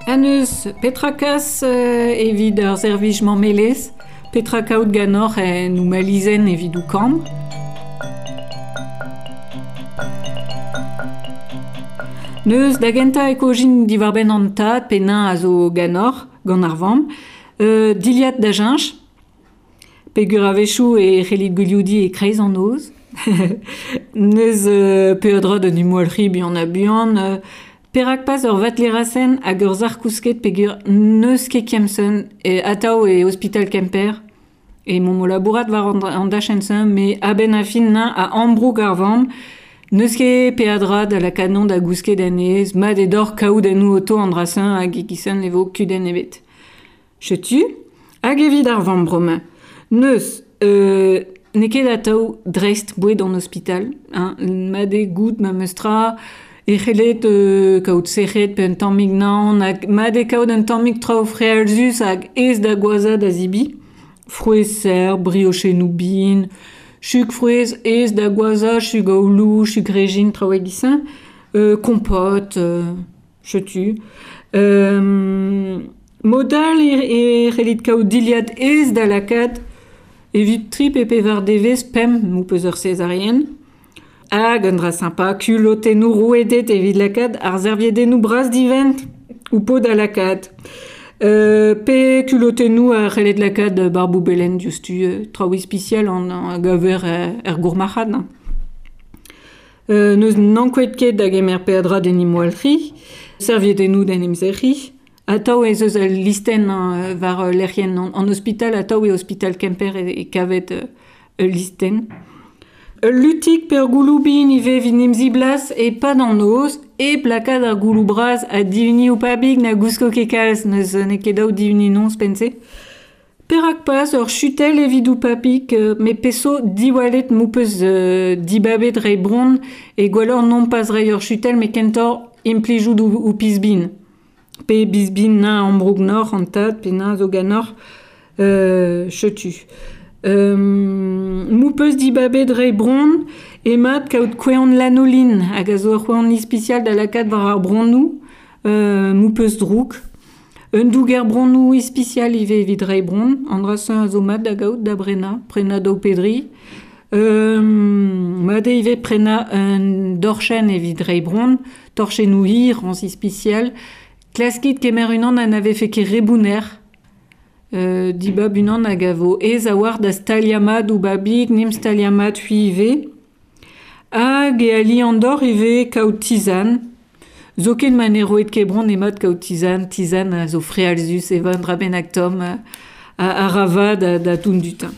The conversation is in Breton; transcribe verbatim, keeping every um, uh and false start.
Aneus, petra kas euh, evit ar servij mammelez, petra kaout ganor en ou malizen evit ou kambr. Neus da genta e kojin diwar-benn an tad pe nañ a zo ganor, gant ar vamm, euh, diliad da jeñch, pegur a-wechoù e c'hellit gwilioudi e kreiz an noz. Neus euh, peadra da numwalc'hi buan ha buan, euh, perak pas ur vatlerasen hag ur sac'h kousket pegur n'eus ket kemsen e atav e ospital Kemper e mont o labourat war an, an dachenn-se, me a-benn a fin nañ a ambroug ar vamm, n'eus ket peadra da lakaat non da gousket anez, mat e dor kaout en oto an drasen hag e-gizen e vo kudenn ebet. Chetu, hag evit ar vamm bremañ. Neus, euh, n'eo ket atav dreist boued an ospital, hein, mat eo goût ma meus tra, e c'hellet euh, kaout sec'hed pe un tammig naon, hag mat eo kaout un tammig traoù frealzus hag aes da gwaza da zibi. Frouezh serr, briochennoù bin, chug frouezh aes da gwaza, chug aoulou, chug rejin, traoù e-giz-se, euh, kompot, euh, chetu. Euh, modal e, e c'hellit kaout diliad aes da lakaat evit tri pe pevar devezh pemp m'ho peus ur césarienne. Hag un dra sympa, kulotennoù rouedet evit lakaat ar serviedennoù bras divent ou po da lakaat. Euh, pe kulotennoù a c'hellet lakaat barboubelen diouzhtu, euh, traoù ispisial an, an gaver er, er gourmarc'had. Euh, neus n'ankouaet ket da gemer peadra d'en em walc'hi, serviedennoù d'en em zerc'hi. Atav ez eus ul listenn hein, war lec'hienn an, an ospital, atav e ospital Kemper e, e kavet euh, ul listenn. Ul lutik pe ur gouloù bin ivez evit em ziblas e pad an noz, e plakad ar gouloù bras ha divini ou pabig na gousko ket kalz neus n'eo ket daou divini non pense. Perak pas ur chutel evit ou papig, euh, me peso diwallet m'ho peus euh, dibabet rei bron e gwelloc'h non pas rei ur chutel me kentor implijout ou, ou pisbin. Pe bisbin nañ ambroug nor an tad pe nañ zo ganor euh, chetu. Euh, m'ho peus dibabet rei bron e mat kaout kouean lanoline hag a zo ur c'hoant ispisial da lakaat war ar bronnoù, euh, m'ho peus drouk. Un douger bronnoù ispisial ivez evit rei bron, an dra-se a zo mat da gaout da brenañ, prenañ daou pedri. Euh, mat eo ivez prenañ un dorchenn evit rei bron, torchennoù hir, an ispisial. Klaskit kemer unan ha na vefe ket re bounner. Euh, dibab unan hag a vo aes a-walc'h da staliañ mat ou babig, nim staliañ mat hui ivez. Hag e ali an dor ivez kaout tizan. Zoken ma ne roet ket bron mat kaout tizan, tizan a zo frealzus e van dra bennak tomm a, a rava da, da toun du tin.